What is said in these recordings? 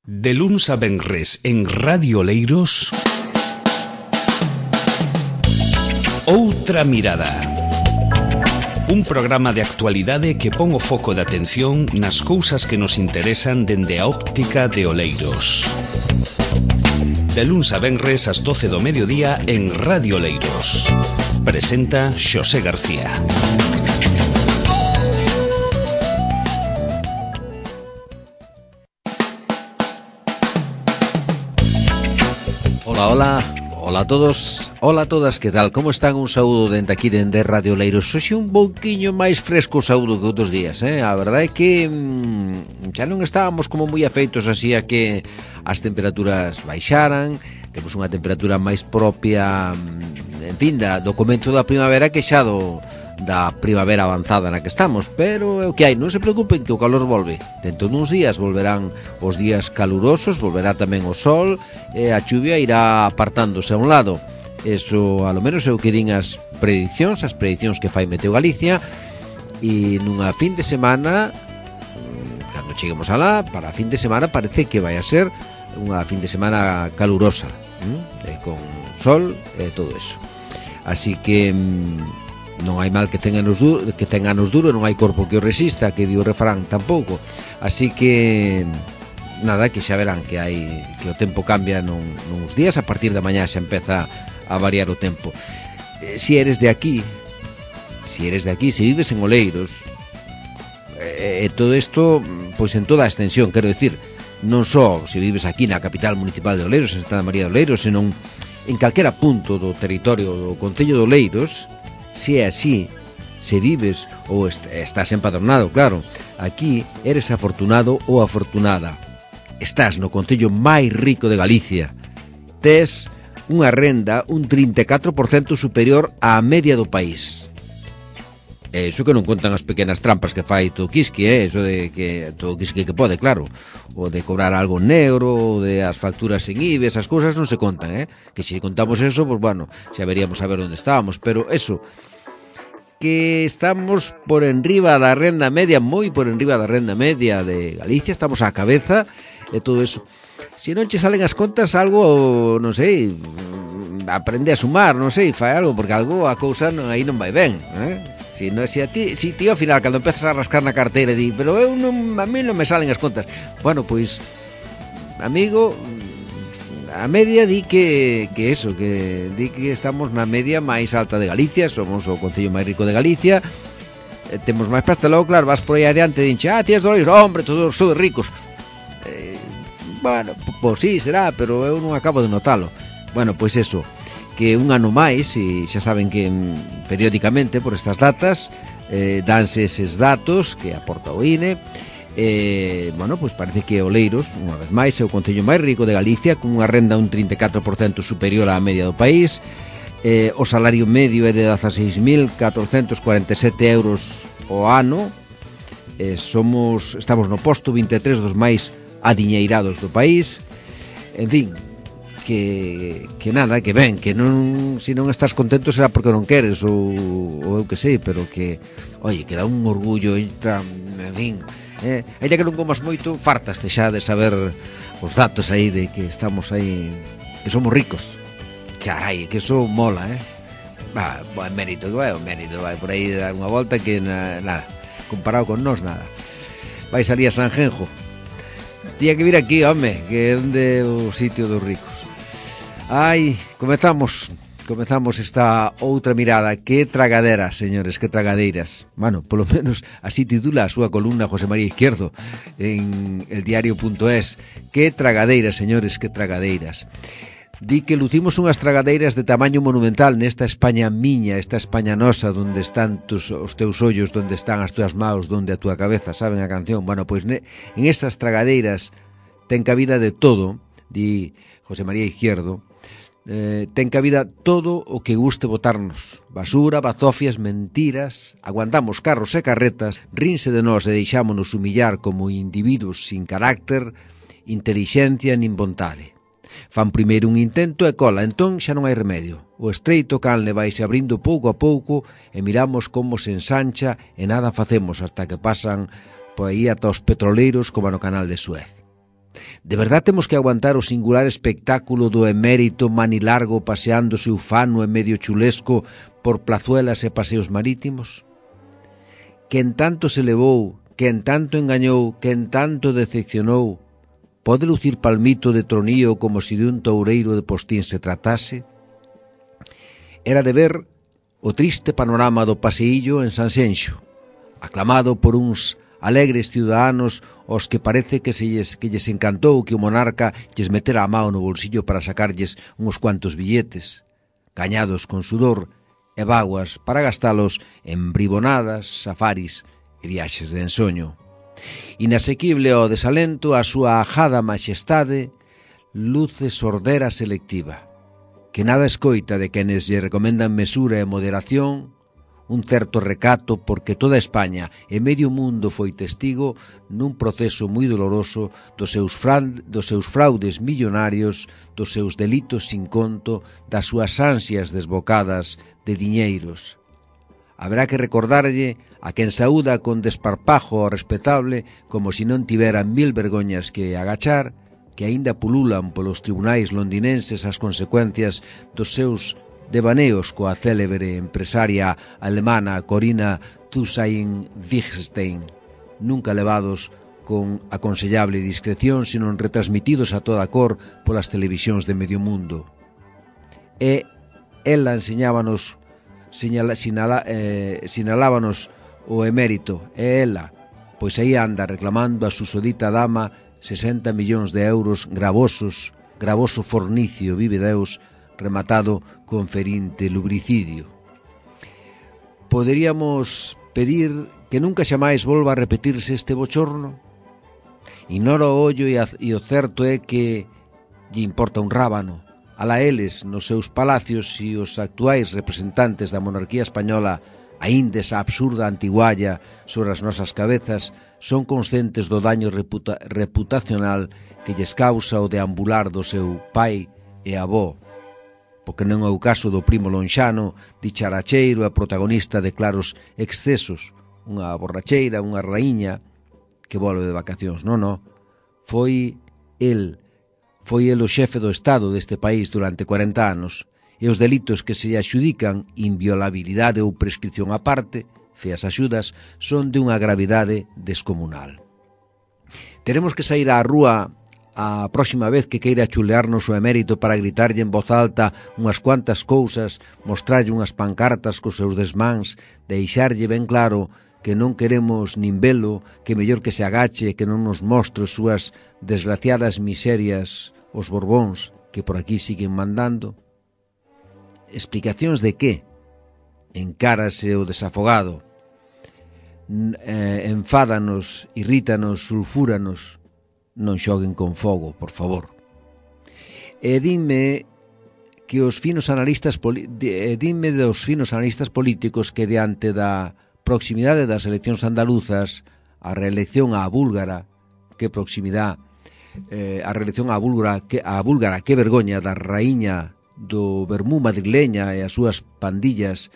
De luns a venres en Radio Oleiros, Outra Mirada. Un programa de actualidade que pon o foco de atención nas cousas que nos interesan dende a óptica de Oleiros. De luns a venres ás 12 do mediodía en Radio Oleiros. Presenta Xosé García. Hola a todos, hola a todas, que tal? Como están? Un saúdo dende aquí, dende Radio Oleiros. Hoxe un pouquiño máis fresco o saúdo que outros días, A verdade é que xa non estábamos como moi afeitos así a que as temperaturas baixaran. Temos unha temperatura máis propia, en fin, do comezo da primavera que xa da primavera avanzada na que estamos, pero é o que hai, non se preocupen que o calor volve. Dentro duns días volverán os días calurosos, volverá tamén o sol e a chuvia irá apartándose a un lado. Eso, a lo menos, é o que din as prediccións que fai Meteo Galicia, e nunha fin de semana, cando cheguemos alá, para a fin de semana parece que vai a ser unha fin de semana calurosa, con sol e todo eso. Así que non hai mal que ten anos duro, non hai corpo que o resista, que di o refrán tampouco. Así que nada, que xa verán que o tempo cambia nuns días. A partir da mañá xa empeza a variar o tempo. Si eres de aquí, se vives en Oleiros, todo isto, pois en toda a extensión, quero dicir, non só se vives aquí na capital municipal de Oleiros, en Santa María de Oleiros, senón en calquera punto do territorio do concello de Oleiros. Se é así, se vives ou estás empadronado, claro, aquí eres afortunado ou afortunada. Estás no concello máis rico de Galicia. Tes unha renda un 34% superior á media do país. Eso que non contan as pequenas trampas que fai todo Quisqui, eso de que todo Quisqui que pode, claro, o de cobrar algo negro, o de as facturas en IBE, esas cousas non se contan, que se contamos eso, pues bueno, xa veríamos a ver onde estábamos, pero eso, que estamos por enriba da renda media, moi por enriba da renda media de Galicia, estamos á cabeza e todo eso. Se non che salen as contas, algo, non sei, aprende a sumar, non sei, fai algo, porque algo a cousa aí non vai ben, Si ti ao final, cando empezas a rascar na carteira, di, pero a mí non me salen as contas. Bueno, pois, amigo, a media di que estamos na media máis alta de Galicia, somos o concello máis rico de Galicia, temos máis pasta. Logo, claro, vas por aí adiante e dinche, tías dólares, hombre, todos sodes ricos. Bueno, pois sí, será, pero eu non acabo de notalo. Bueno, pois eso, que un ano máis, e xa saben que periódicamente por estas datas danse eses datos que aporta o INE. Bueno, pois parece que Oleiros, unha vez máis, é o concello máis rico de Galicia, con unha renda un 34% superior á media do país. O salario medio é de 16.447 euros ao ano. Estamos no posto 23 dos máis adiñeirados do país. En fin, que nada, que ben, que non, se non estás contento será porque non queres ou eu que sei, pero que, oye, que dá un orgullo, en fin, ainda que non comas moito, fartaste xa de saber os datos aí de que estamos aí, que somos ricos. Carai, que eso mola, buen mérito, que vai o mérito, vai por aí dar unha volta que nada, comparado con nós, nada. Vai salir a Sanjenjo. Tía que vir aquí, home, que é onde o sitio dos ricos. Ai, comezamos esta outra mirada. Que tragadera, señores, que tragadeiras. Bueno, polo menos así titula a súa columna José María Izquierdo en eldiario.es. Que tragadeiras, señores, que tragadeiras. Di que lucimos unhas tragadeiras de tamaño monumental nesta España miña, esta España nosa, donde están os teus ollos, donde están as túas maus, donde a túa cabeza, saben a canción? Bueno, pois en estas tragadeiras ten cabida de todo, di José María Izquierdo. Ten cabida todo o que guste botarnos: basura, bazofias, mentiras. Aguantamos carros e carretas, rinse de nós e deixámonos humillar como individuos sin carácter, intelixencia nin vontade. Fan primeiro un intento e cola, entón xa non hai remedio. O estreito canle vaise abrindo pouco a pouco e miramos como se ensancha e nada facemos hasta que pasan por aí ata os petroleiros como no canal de Suez. De verdad temos que aguantar o singular espectáculo do emérito manilargo paseándose ufano e medio chulesco por plazuelas e paseos marítimos? Quen tanto se levou, quen tanto engañou, quen tanto decepcionou, pode lucir palmito de tronío como se de un toureiro de postín se tratase? Era de ver o triste panorama do paseillo en Sanxenxo, aclamado por uns alegres ciudadanos aos que parece que lles encantou que o monarca lles metera a mão no bolsillo para sacarlles uns cuantos billetes, gañados con sudor e vaguas para gastalos en bribonadas, safaris e viaxes de ensoño. Inasequible ao desalento, a súa ajada maxestade luce sordera selectiva, que nada escoita de quenes lle recomendan mesura e moderación, un certo recato porque toda España e medio mundo foi testigo nun proceso moi doloroso dos seus fraudes millonarios, dos seus delitos sin conto, das súas ansias desbocadas de diñeiros. Haberá que recordarlle a quen saúda con desparpajo ao respetable como se non tivera 1000 vergoñas que agachar, que aínda pululan polos tribunais londinenses as consecuencias dos seus devaneos coa célebre empresaria alemana Corinna Thyssen-Wittgenstein, nunca levados con aconsellable discreción, sino retransmitidos a toda cor polas televisións de medio mundo. E ela enseñábanos, sinalábanos o emérito, e ela, pois aí anda reclamando a susodita dama 60 millóns de euros gravoso fornicio, vive Deus, rematado con ferinte lubricidio. Poderíamos pedir que nunca xamais volva a repetirse este bochorno? Ignora o ollo e o certo é que lle importa un rábano. Alá eles, nos seus palacios, e os actuais representantes da monarquía española, aínda esa absurda antigualla sobre as nosas cabezas, son conscientes do daño reputacional que lles causa o deambular do seu pai e avó, porque non é o caso do primo lonxano, dicharacheiro e protagonista de claros excesos, unha borracheira, unha raíña que volve de vacacións. Non. Foi el o xefe do Estado deste país durante 40 anos, e os delitos que se adxudican, inviolabilidade ou prescripción aparte, feas axudas, son de unha gravidade descomunal. Teremos que sair á rúa a próxima vez que queira chulearnos o emérito para gritarlle en voz alta unhas cuantas cousas, mostrarlle unhas pancartas cos seus desmáns, deixarlle ben claro que non queremos nin velo, que mellor que se agache, que non nos mostre súas desgraciadas miserias os Borbóns que por aquí siguen mandando. Explicacións de que? Encárase o desafogado. Enfádanos, irrítanos, sulfúranos. Non xoguen con fogo, por favor. E dime que os finos analistas dos finos analistas políticos que diante da proximidade das eleccións andaluzas, a reelección á búlgara, que proximidade, a reelección á búlgara, que vergoña da raíña do vermú madrileña e as súas pandillas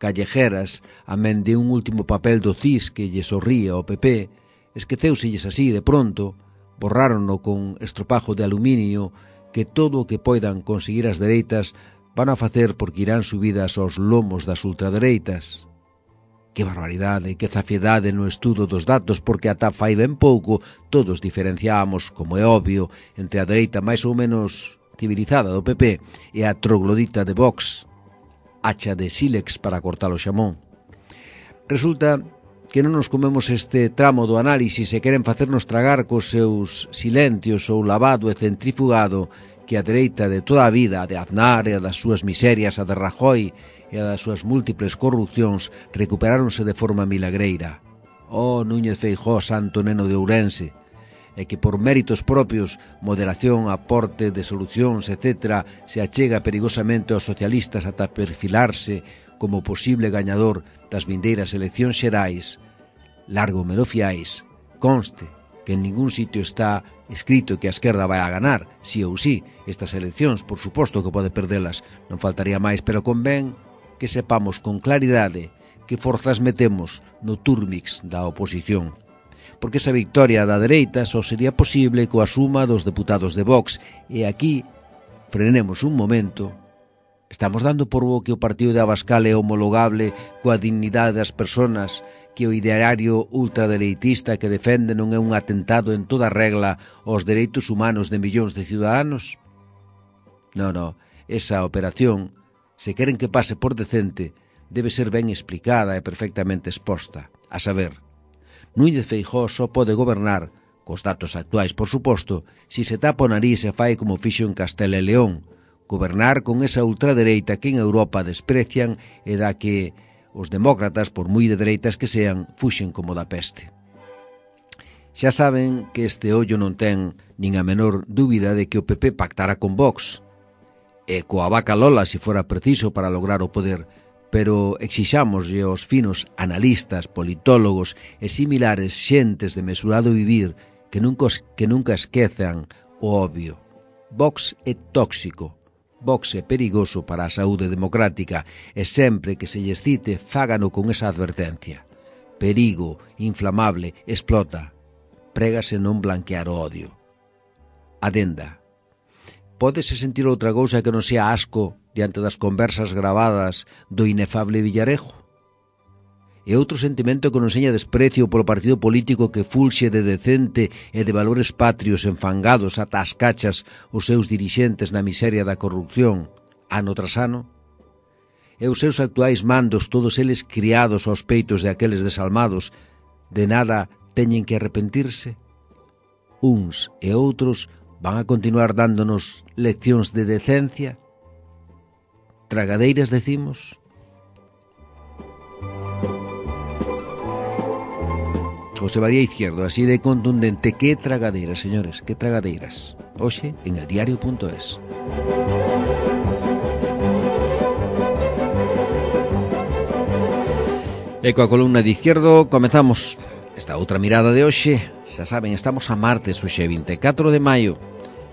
callejeras, amén de un último papel do CIS que lle sorría ao PP, esqueceuselles así de pronto, borrárono con estropajo de aluminio, que todo o que poidan conseguir as dereitas van a facer porque irán subidas aos lomos das ultradereitas. Que barbaridade, que zafiedade no estudo dos datos, porque ata fai ben pouco todos diferenciábamos, como é obvio, entre a dereita máis ou menos civilizada do PP e a troglodita de Vox, hacha de sílex para cortar o xamón. Resulta que non nos comemos este tramo do análisis e queren facernos tragar cos seus silencios ou lavado e centrifugado que a dereita de toda a vida, a de Aznar e a das súas miserias, a de Rajoy e a das súas múltiples corrupcións, recuperáronse de forma milagreira. Oh, Núñez Feijóo, santo neno de Ourense, e que por méritos propios, moderación, aporte de solucións, etc., se achega perigosamente aos socialistas ata perfilarse como posible gañador das vindeiras eleccións xerais. Largo me do fiáis, conste que en ningún sitio está escrito que a esquerda vai a ganar, sí ou sí, estas eleccións, por suposto que pode perdelas, non faltaría máis, pero convén que sepamos con claridade que forzas metemos no turmix da oposición. porque esa victoria da dereita só sería posible coa suma dos deputados de Vox. E aquí, frenemos un momento, estamos dando por bo que o partido de Abascal é homologable coa dignidade das persoas, que o ideario ultradereitista que defende non é un atentado en toda regla aos dereitos humanos de millóns de ciudadanos? Non, esa operación, se queren que pase por decente, debe ser ben explicada e perfectamente exposta. A saber, Núñez Feijóo só pode gobernar, cos datos actuais, por suposto, si se tapa o nariz e fai como fixo en Castela e León, gobernar con esa ultradereita que en Europa desprecian e da que os demócratas, por moi de dereitas que sean, fuxen como da peste. Xa saben que este ollo non ten nin a menor dúbida de que o PP pactará con Vox, e coa vaca Lola se fora preciso para lograr o poder, pero exixámoslle aos finos analistas, politólogos e similares xentes de mesurado vivir que nunca esquezan o obvio. Vox é tóxico, Vox é perigoso para a saúde democrática e sempre que se lles cite fágano con esa advertencia. Perigo, inflamable, explota. Prégase non blanquear o odio. Adenda. Pódese sentir outra cousa que non sea asco diante das conversas gravadas do inefable Villarejo? E outro sentimento que non seña desprecio polo partido político que fulxe de decente e de valores patrios enfangados ata as cachas os seus dirixentes na miseria da corrupción, ano tras ano? E os seus actuais mandos, todos eles criados aos peitos de aqueles desalmados, de nada teñen que arrepentirse? Uns e outros van a continuar dándonos leccións de decencia? Tragadeiras, decimos? José María Izquierdo, así de contundente. Que tragadeiras, señores, que tragadeiras. Hoxe en eldiario.es. E coa columna de Izquierdo comezamos esta outra mirada de hoxe. Xa saben, estamos a martes, hoxe 24 de maio.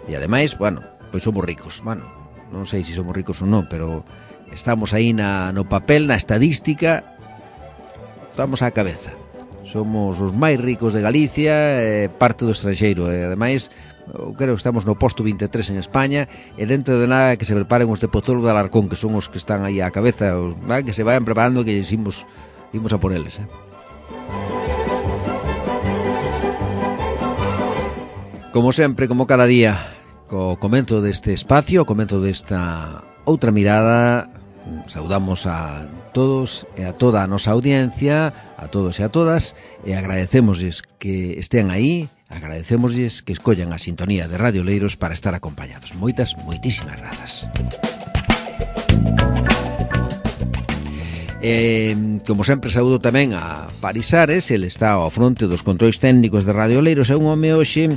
E ademais, bueno, pois somos ricos. Bueno, non sei se somos ricos ou non, pero estamos aí no papel, na estadística, estamos á cabeza. Somos os máis ricos de Galicia e parte do estranxeiro. E ademais, creo que estamos no posto 23 en España, e dentro de nada que se preparen os de Pozuelo de Alarcón, que son os que están aí á cabeza, que se vayan preparando, que imos a por eles. Como sempre, como cada día, co comenzo deste espacio, o comenzo desta outra mirada, saudamos a todos e a toda a nosa audiencia, a todos e a todas, e agradecémosles que estén aí, agradecémosles que escollan a sintonía de Radio Oleiros para estar acompañados. Moitísimas grazas. Como sempre, saúdo tamén a Paris Ares. Ele está ao fronte dos controis técnicos de Radio Oleiros. É un home hoxe,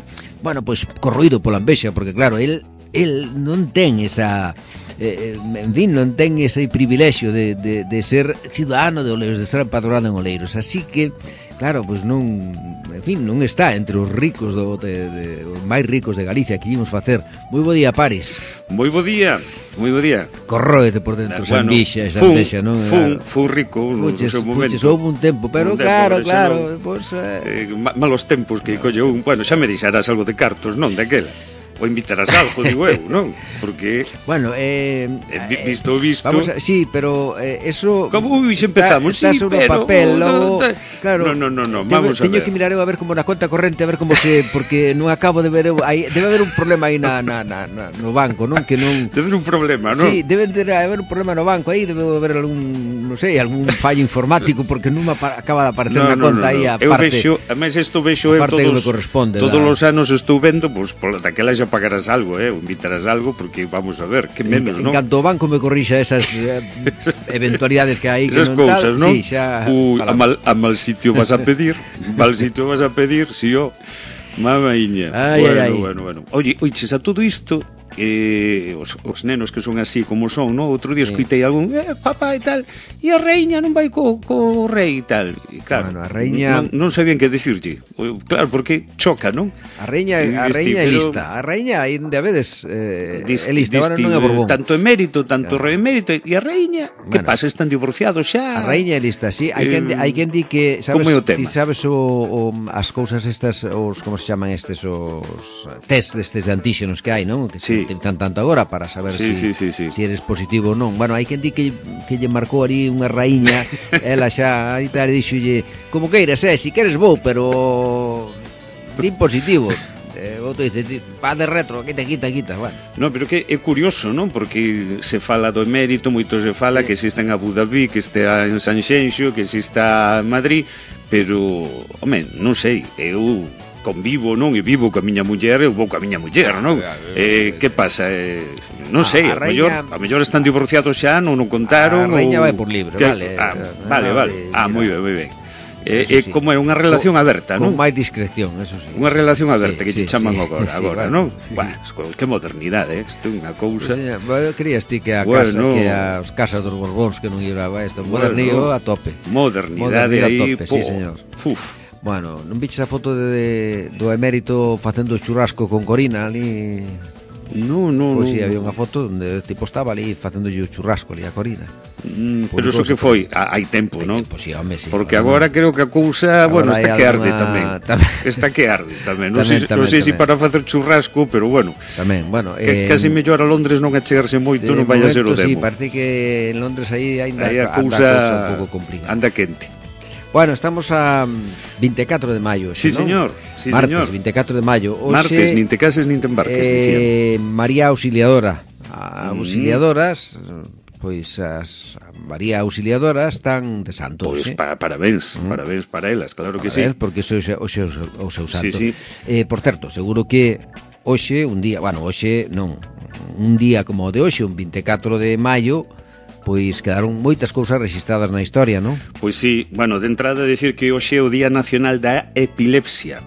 bueno, pois corroído pola envexa, porque claro, el non ten esa en fin, non ten ese privilexio de ser ciudadano de Oleiros, de ser empadronado en Oleiros, así que claro, pois non, en fin, non está entre os ricos os máis ricos de Galicia que ímos facer. Moi bo día, Paris. Moi bo día. Corróete por dentro, esa envixa, esa envexa, non? Fun rico no seu momento. Houve un tempo, pero claro, pois malos tempos que colle un, bueno, xa me deixarás algo de cartos, non, daquela. O invitarás algo, digo eu, non? Porque bueno, visto vamos a, sí, pero eso como xa empezamos, está sí, sobre pero papel, logo, claro. No, vamos a ver. Teño que mirar eu a ver como na conta corrente, a ver como se, porque non acabo de ver eu, debe haber un problema aí no banco, non? Que non debe haber un problema, non? Sí, debe haber un problema no banco aí, debe haber algún, non sei, algún fallo informático, porque non acaba de aparecer na conta aí a parte. Eu vexo, ademais isto vexo eu todos os anos estou vendo, pois pola daquela xa pagarás algo, o invitarás algo, porque vamos a ver, que menos, non? En canto o banco me corrixa esas eventualidades que hai, esas que non cousas, tal, non? Sí, xa, a mal sitio vas a pedir, si o mamaiña. Bueno. Oye, a todo isto, os nenos que son así como son, no? Outro día escuitei algún, papá e tal, e a reiña non vai co rei e tal. E claro, bueno, a reiña... non sabían que decirlle. Claro, porque choca, non? A reiña é lista. A reiña, aí onde a vedes, é lista, agora non é Borbón. Tanto emérito, tanto rei emérito, e a reiña, que pasa, están divorciados xa? A reiña é lista, sí. Hai quen di que, sabes, ti sabes as cousas estas, os, como se chaman estes, os test destes de antíxenos que hai, non? Que se utilizan tanto agora para saber si eres positivo ou non. Bueno, hai quen di que lle marcou ali unha raíña, ela xa aí tal, dixolle, como queiras, si queres vou, pero din positivo. Outro dice, pa de retro, quita, bueno. No, pero que é curioso, non? Porque se fala do emérito, moito se fala que existe en Abu Dhabi, que está en Sanxenxo, que existe en Madrid, pero, home, non sei, eu convivo, non? E vivo coa miña muller, eu vou coa miña muller, non? Que pasa? Non sei, a mellor están divorciados xa, non o contaron. A reiña vai por libre, vale. Vale. Moi ben. Como é unha relación aberta, non? Con máis discreción, eso sí. Unha relación aberta que te chaman agora, non? Bueno, que modernidade, isto é unha cousa. Eu querías ti que as casas dos Borbóns que non llevaba isto, modernío a tope. Modernidade aí, sí, señor. Bueno, non viches a foto do emérito facendo churrasco con Corina ali? No. Pois si, había unha foto onde o tipo estaba ali facendo o churrasco ali a Corina. Pero iso que foi hai tempo, non? Sí, home, sí. Porque agora creo que a cousa, bueno, está que arde tamén. Está que arde tamén. Non sei se para facer churrasco, pero bueno. Tamén, bueno. Casi mellor a Londres non achegarse moito, non vai a ser o demo. Sí, parece que en Londres aí ainda a cousa un pouco complicada. Anda quente. Bueno, estamos a 24 de maio, sí, ¿no? Señor. Sí, martes, señor. 24 de maio. Oxe, martes, nin te cases nin te embarques, María Auxiliadora. Auxiliadoras, pois as María Auxiliadoras están de santo. Pois parabéns para elas, claro que sí. Porque hoxe o seu santo. Sí. Por certo, seguro que hoxe, un día como o de hoxe, un 24 de maio, pois quedaron moitas cousas registradas na historia, non? Pois sí, bueno, de entrada decir que hoxe é o Día Nacional da Epilepsia,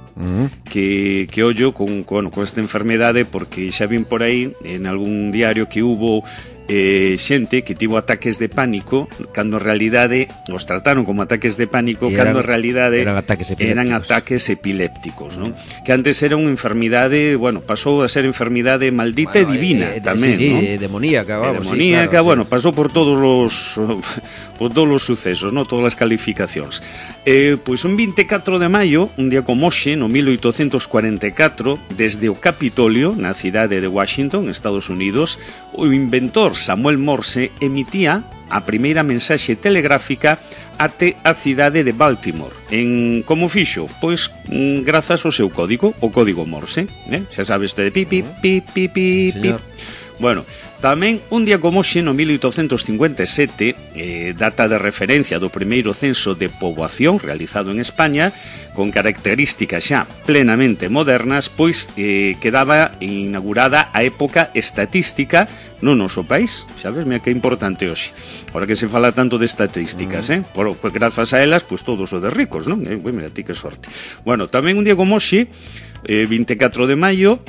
que ollo con esta enfermedade, porque xa vin por aí en algún diario que hubo xente que tivo ataques de pánico cando en realidade os trataron como ataques de pánico, cando en realidade eran ataques epilépticos, non? Que antes era unha enfermidade, bueno, pasou a ser enfermidade maldita e divina tamén, non? Demoníaca, vamos. Demoníaca, bueno, pasou por todos os sucesos, non? Todas as calificacións. Pois un 24 de maio, un día como hoxe, no 1844, desde o Capitolio, na cidade de Washington, Estados Unidos, o inventor Samuel Morse emitía a primeira mensaxe telegráfica até a cidade de Baltimore. Como fixo? Pois grazas ao seu código, o código Morse, xa sabes, de pip. Bueno, tamén un día como hoxe, no 1857, data de referencia do primeiro censo de poboación realizado en España, con características xa plenamente modernas, pois quedaba inaugurada a época estatística no noso país. Sabes, mira que importante hoxe. Ahora que se fala tanto de estatísticas, pues grazas a elas, pues todos o de ricos, non? Mira, ti que sorte. Bueno, tamén un día como hoxe, 24 de maio,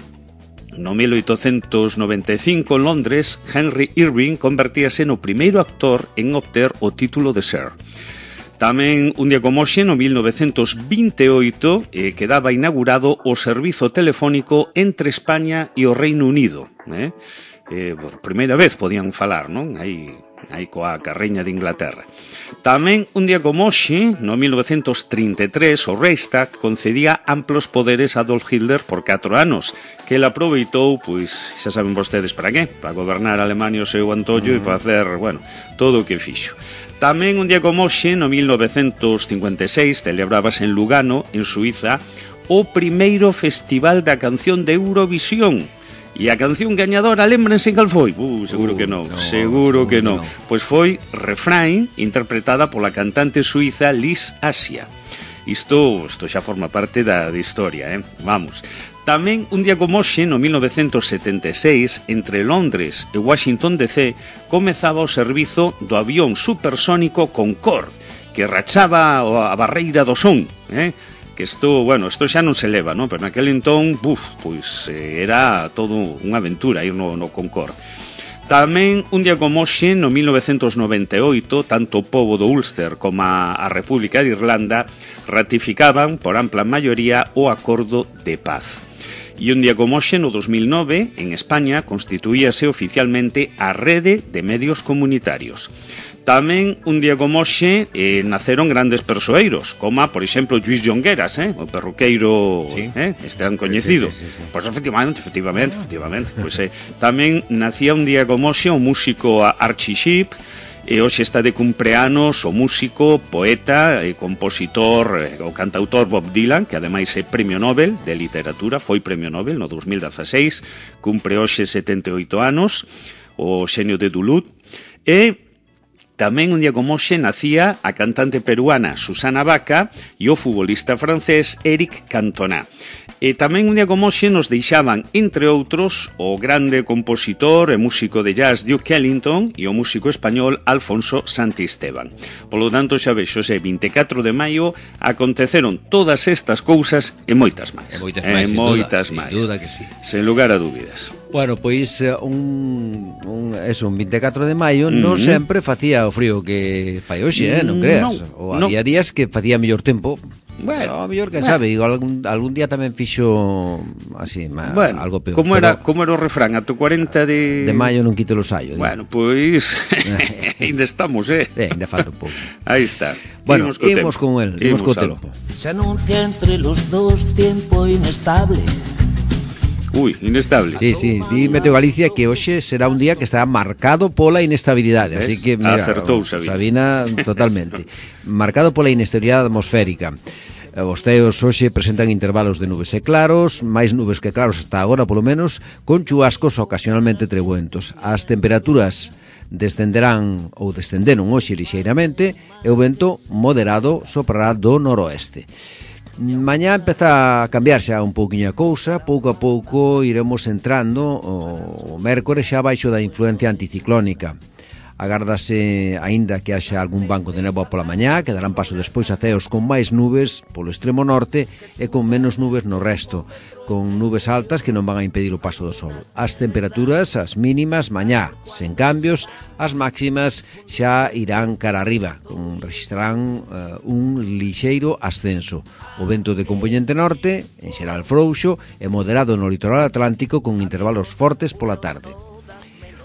no 1895, en Londres, Henry Irving convertíase no primeiro actor en obter o título de Sir. Tamén un día como hoxe, no 1928, quedaba inaugurado o servizo telefónico entre España e o Reino Unido. Por primeira vez podían falar, non? Aí coa carreña de Inglaterra. Tamén un día como hoxe, no 1933, o Reichstag concedía amplos poderes a Adolf Hitler por 4 anos, que ele aproveitou, pois, xa saben vostedes para qué, para gobernar Alemania o seu antollo e para hacer, bueno, todo o que fixo. Tamén un día como hoxe, no 1956, celebrábase en Lugano, en Suiza, o primeiro Festival da Canción de Eurovisión. E a canción gañadora, lémbrense cal foi? Seguro que non. Pois foi Refrain, interpretada pola cantante suiza Liz Asia. Isto xa forma parte da historia, Vamos. Tamén un día como hoxe, no 1976, entre Londres e Washington DC, comezaba o servizo do avión supersónico Concorde, que rachaba a barreira do son, que isto xa non se leva, non? Pero naquele entón, pois era todo unha aventura ir no Concorde. Tamén, un día como hoxe, no 1998, tanto o pobo do Ulster como a República de Irlanda ratificaban, por ampla maioría, o Acordo de Paz. E un día como hoxe, no 2009, en España, constituíase oficialmente a Rede de Medios Comunitarios. Tamén, un día como hoxe, naceron grandes persoeiros, como, por exemplo, Lluís Jongueras, o perruqueiro, sí. Tan coñecido. Sí. Pois efectivamente. Pois, tamén nacía un día como hoxe o músico Archie Shepp, e hoxe está de cumpleanos o músico, poeta e compositor, o cantautor Bob Dylan, que ademais é Premio Nobel de Literatura, foi Premio Nobel no 2016, cumpre hoxe 78 anos, o xenio de Duluth, e tamén un día como hoxe nacía a cantante peruana Susana Baca e o futbolista francés Eric Cantona. E tamén un día como hoxe nos deixaban, entre outros, o grande compositor e músico de jazz Duke Ellington e o músico español Alfonso Santisteban. Polo tanto, xa vexo, ese 24 de maio aconteceron todas estas cousas e moitas máis. Sin duda que sí. Sen lugar a dúbidas. Bueno, pois un 24 de maio non sempre facía o frío que fai hoxe, non creas. Ou había días que facía mellor tempo. Bueno, a mellor, sabe, algún día tamén fixo así, algo peor. Como era o refrán, ato 40 de maio non quito o saio. Bueno, pois ainda estamos, ainda falta un pouco. Aí está. Bueno, imos con el, imos co tempo. Se anuncia entre los dos tiempo inestable. Inestable. Sí, di Meteo Galicia que hoxe será un día que estará marcado pola inestabilidade. Así que, mira, acertou Sabina totalmente. Marcado pola inestabilidade atmosférica. Os ceos hoxe presentan intervalos de nubes e claros, máis nubes que claros hasta agora, polo menos, con chubascos ocasionalmente trebuentos. As temperaturas descenderon hoxe lixeiramente e o vento moderado soprará do noroeste. Mañá empeza a cambiar xa un pouquiño a cousa, pouco a pouco iremos entrando o mércores xa baixo da influencia anticiclónica. Agárdase aínda que haxa algún banco de néboa pola mañá, que darán paso despois a ceos con máis nubes polo extremo norte e con menos nubes no resto, con nubes altas que non van a impedir o paso do sol. As temperaturas, as mínimas, mañá, sen cambios, as máximas xa irán cara arriba, registrarán un lixeiro ascenso. O vento de compoñente norte, en xeral frouxo, e moderado no litoral atlántico con intervalos fortes pola tarde.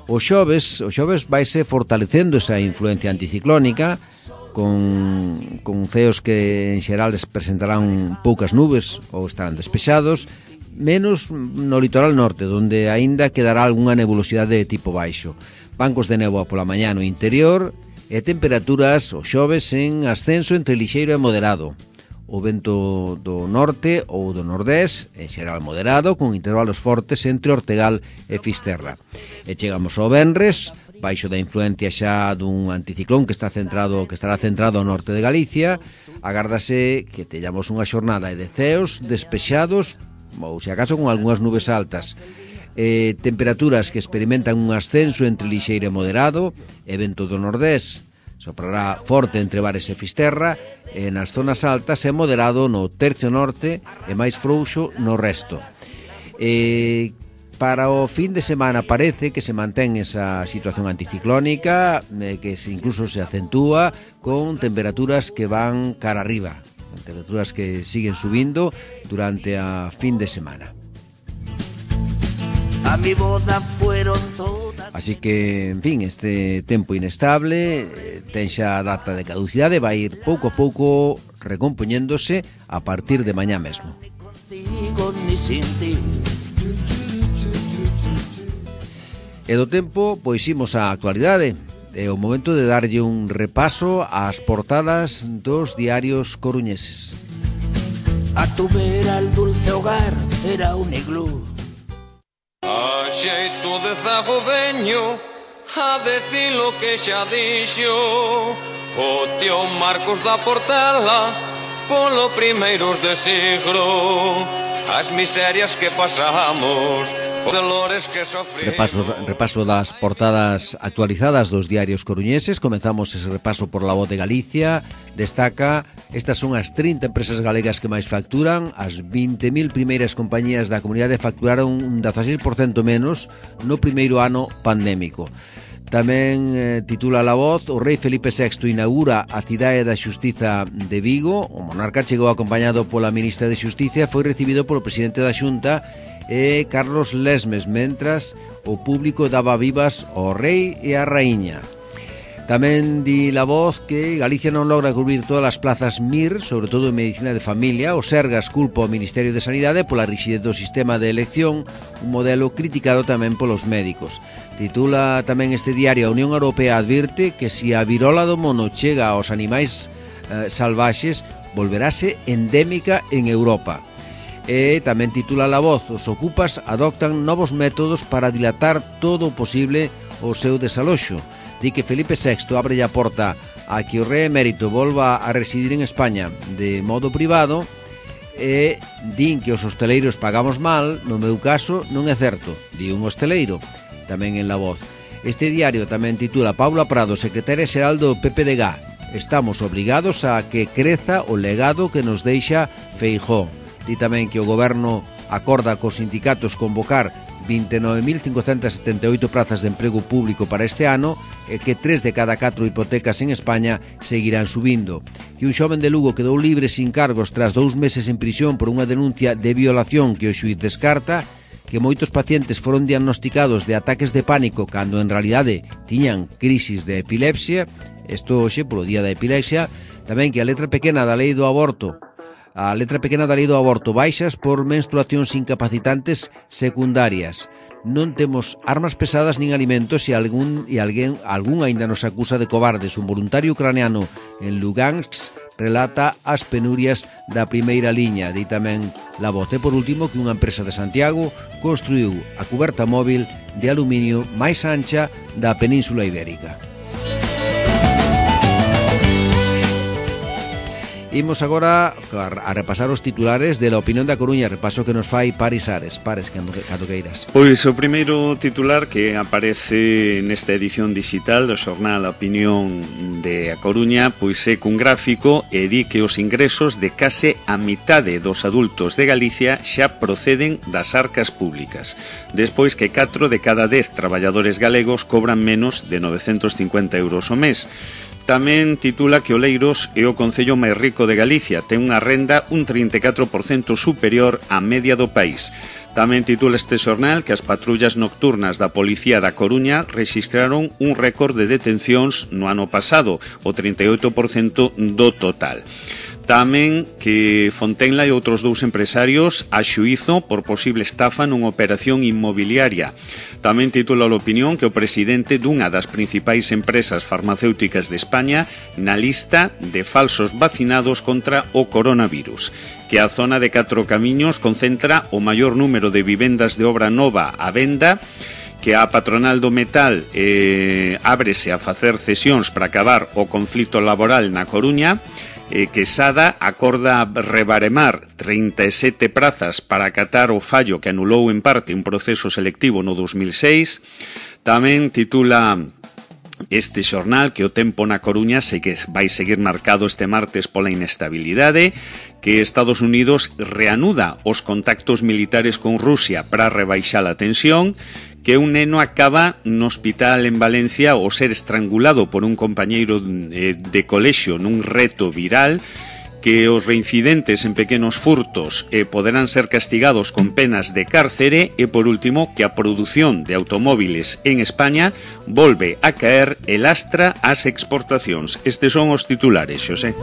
O xoves vaise fortalecendo esa influencia anticiclónica con ceos que en xeral presentarán poucas nubes ou estarán despexados, menos no litoral norte, onde aínda quedará algunha nebulosidade de tipo baixo. Bancos de néboa pola mañá no interior e temperaturas o xoves en ascenso entre lixeiro e moderado. O vento do norte ou do nordés, en xeral moderado, con intervalos fortes entre Ortegal e Fisterra. E chegamos ao venres, baixo da influencia xa dun anticiclón que estará centrado ao norte de Galicia. Agárdase que teñamos unha xornada de ceos despexados, ou se acaso con algunhas nubes altas. Temperaturas que experimentan un ascenso entre lixeiro e moderado, e vento do nordés soprará forte entre Bares e Fisterra, e nas zonas altas é moderado no tercio norte e máis frouxo no resto. Para o fin de semana parece que se mantén esa situación anticiclónica, que incluso se acentúa con temperaturas que van cara arriba, temperaturas que siguen subindo durante a fin de semana. A mi boda fueron todas. Así que, en fin, este tempo inestable ten xa a data de caducidade, vai ir pouco a pouco recompoñéndose a partir de mañá mesmo. E do tempo, pois imos á actualidade. É o momento de darlle un repaso ás portadas dos diarios coruñeses. A tu vera el dulce hogar era un iglú. A xeito de zago veño a decir lo que xa dixo o tío Marcos da Portela polo primeiros de siglo. As miserias que pasamos Repaso das portadas actualizadas dos diarios coruñeses. Comenzamos ese repaso por La Voz de Galicia. Destaca, estas son as 30 empresas galegas que máis facturan. As 20.000 primeiras compañías da comunidade facturaron un 16% menos no primeiro ano pandémico. Tamén titula La Voz: o rei Felipe VI inaugura a cidade da Xustiza de Vigo. O monarca chegou acompañado pola ministra de Xusticia e foi recibido polo presidente da Xunta Carlos Lesmes, mentras o público daba vivas ao rei e á raíña. Tamén di La Voz que Galicia non logra cubrir todas as plazas MIR, sobre todo en medicina de familia. O Sergas culpa ao Ministerio de Sanidade pola rigidez do sistema de elección, un modelo criticado tamén polos médicos. Titula tamén este diario: a Unión Europea advirte que se a virola do mono chega aos animais salvaxes, volverase endémica en Europa. E tamén titula La Voz: os ocupas adoptan novos métodos para dilatar todo o posible o seu desaloxo. Di que Felipe VI abre a porta a que o rei emérito volva a residir en España de modo privado e din que os hosteleiros pagamos mal. No meu caso non é certo, di un hosteleiro. Tamén en La Voz. Este diario tamén titula: Paula Prado, secretaria xeral do PPDG: estamos obrigados a que creza o legado que nos deixa Feijóo. Di tamén que o goberno acorda cos sindicatos convocar 29.578 prazas de emprego público para este ano e que 3 de cada 4 hipotecas en España seguirán subindo. Que un xoven de Lugo quedou libre sin cargos tras 2 meses en prisión por unha denuncia de violación que o xuíz descarta. Que moitos pacientes foron diagnosticados de ataques de pánico cando en realidade tiñan crisis de epilepsia. Isto hoxe polo día da epilepsia. Tamén que a letra pequena da lei do aborto baixas por menstruacións incapacitantes secundarias. Non temos armas pesadas nin alimentos e algún aínda nos acusa de cobardes. Un voluntario ucraniano en Lugansk relata as penurias da primeira liña. Di tamén La Voz. E por último que unha empresa de Santiago construiu a cuberta móvil de aluminio máis ancha da Península Ibérica. Imos agora a repasar os titulares de La Opinión da Coruña, repaso que nos fai Paris Ares. Pares, cando queiras. Pois o primeiro titular que aparece nesta edición digital do xornal A Opinión de A Coruña pois é cun gráfico e di que os ingresos de case a mitade dos adultos de Galicia xa proceden das arcas públicas, despois que 4 de cada 10 traballadores galegos cobran menos de 950 euros ao mes. Tamén titula que Oleiros é o concello máis rico de Galicia, ten unha renda un 34% superior á media do país. Tamén titula este xornal que as patrullas nocturnas da Policía da Coruña rexistraron un récord de detencións no ano pasado, o 38% do total. Tamén que Fontenla e outros 2 empresarios a xuízo por posible estafa nunha operación inmobiliaria. Tamén titula a Opinión que o presidente dunha das principais empresas farmacéuticas de España na lista de falsos vacinados contra o coronavirus. Que a zona de Catro Camiños concentra o maior número de vivendas de obra nova á venda, que a patronal do metal ábrese a facer cesións para acabar o conflito laboral na Coruña, que Sada acorda rebaremar 37 prazas para acatar o fallo que anulou en parte un proceso selectivo no 2006. Tamén titula este xornal que o tempo na Coruña vai seguir marcado este martes pola inestabilidade, que Estados Unidos reanuda os contactos militares con Rusia para rebaixar a tensión, que un neno acaba no hospital en Valencia ao ser estrangulado por un compañeiro de colexio nun reto viral, que os reincidentes en pequenos furtos poderán ser castigados con penas de cárcere e, por último, que a produción de automóviles en España volve a caer e lastra as exportacións. Estes son os titulares, Xosé.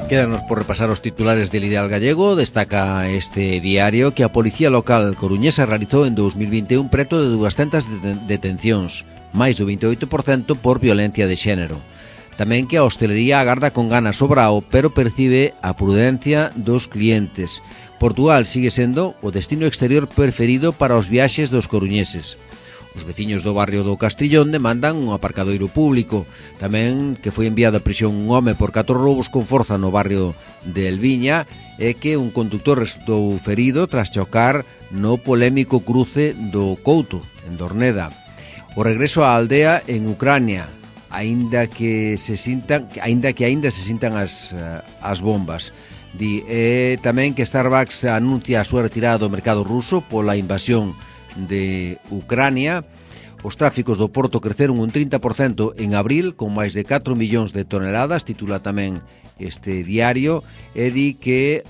Quédanos por repasar os titulares del Ideal Gallego. Destaca este diario que a Policía Local coruñesa realizou en 2021 preto de 200 detencións, máis do 28% por violencia de xénero. Tamén que a hostelería agarda con ganas o Brao, pero percibe a prudencia dos clientes. Portugal sigue sendo o destino exterior preferido para os viaxes dos coruñeses. Os veciños do barrio do Castrillón demandan un aparcadoiro público. Tamén que foi enviado a prisión un home por 4 roubos con forza no barrio de Elviña e que un conductor resultou ferido tras chocar no polémico cruce do Couto, en Dorneda. O regreso á aldea en Ucrania, aínda que aínda se sintan as bombas. Di tamén que Starbucks anuncia a súa retirada do mercado ruso pola invasión de Ucrania. Os tráficos do porto creceron un 30% en abril, con máis de 4 millóns de toneladas, titula tamén este diario, e di que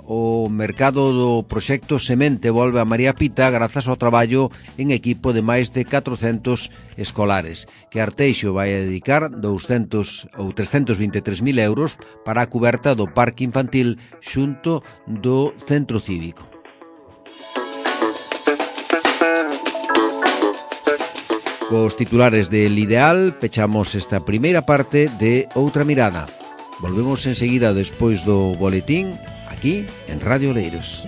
o mercado do proxecto Semente volve a María Pita grazas ao traballo en equipo de máis de 400 escolares, que Arteixo vai a dedicar 200 ou 323.000 euros para a cuberta do parque infantil xunto do centro cívico. Cos titulares del Ideal pechamos esta primeira parte de Outra Mirada. Volvemos enseguida despois do boletín aquí en Radio Oleiros.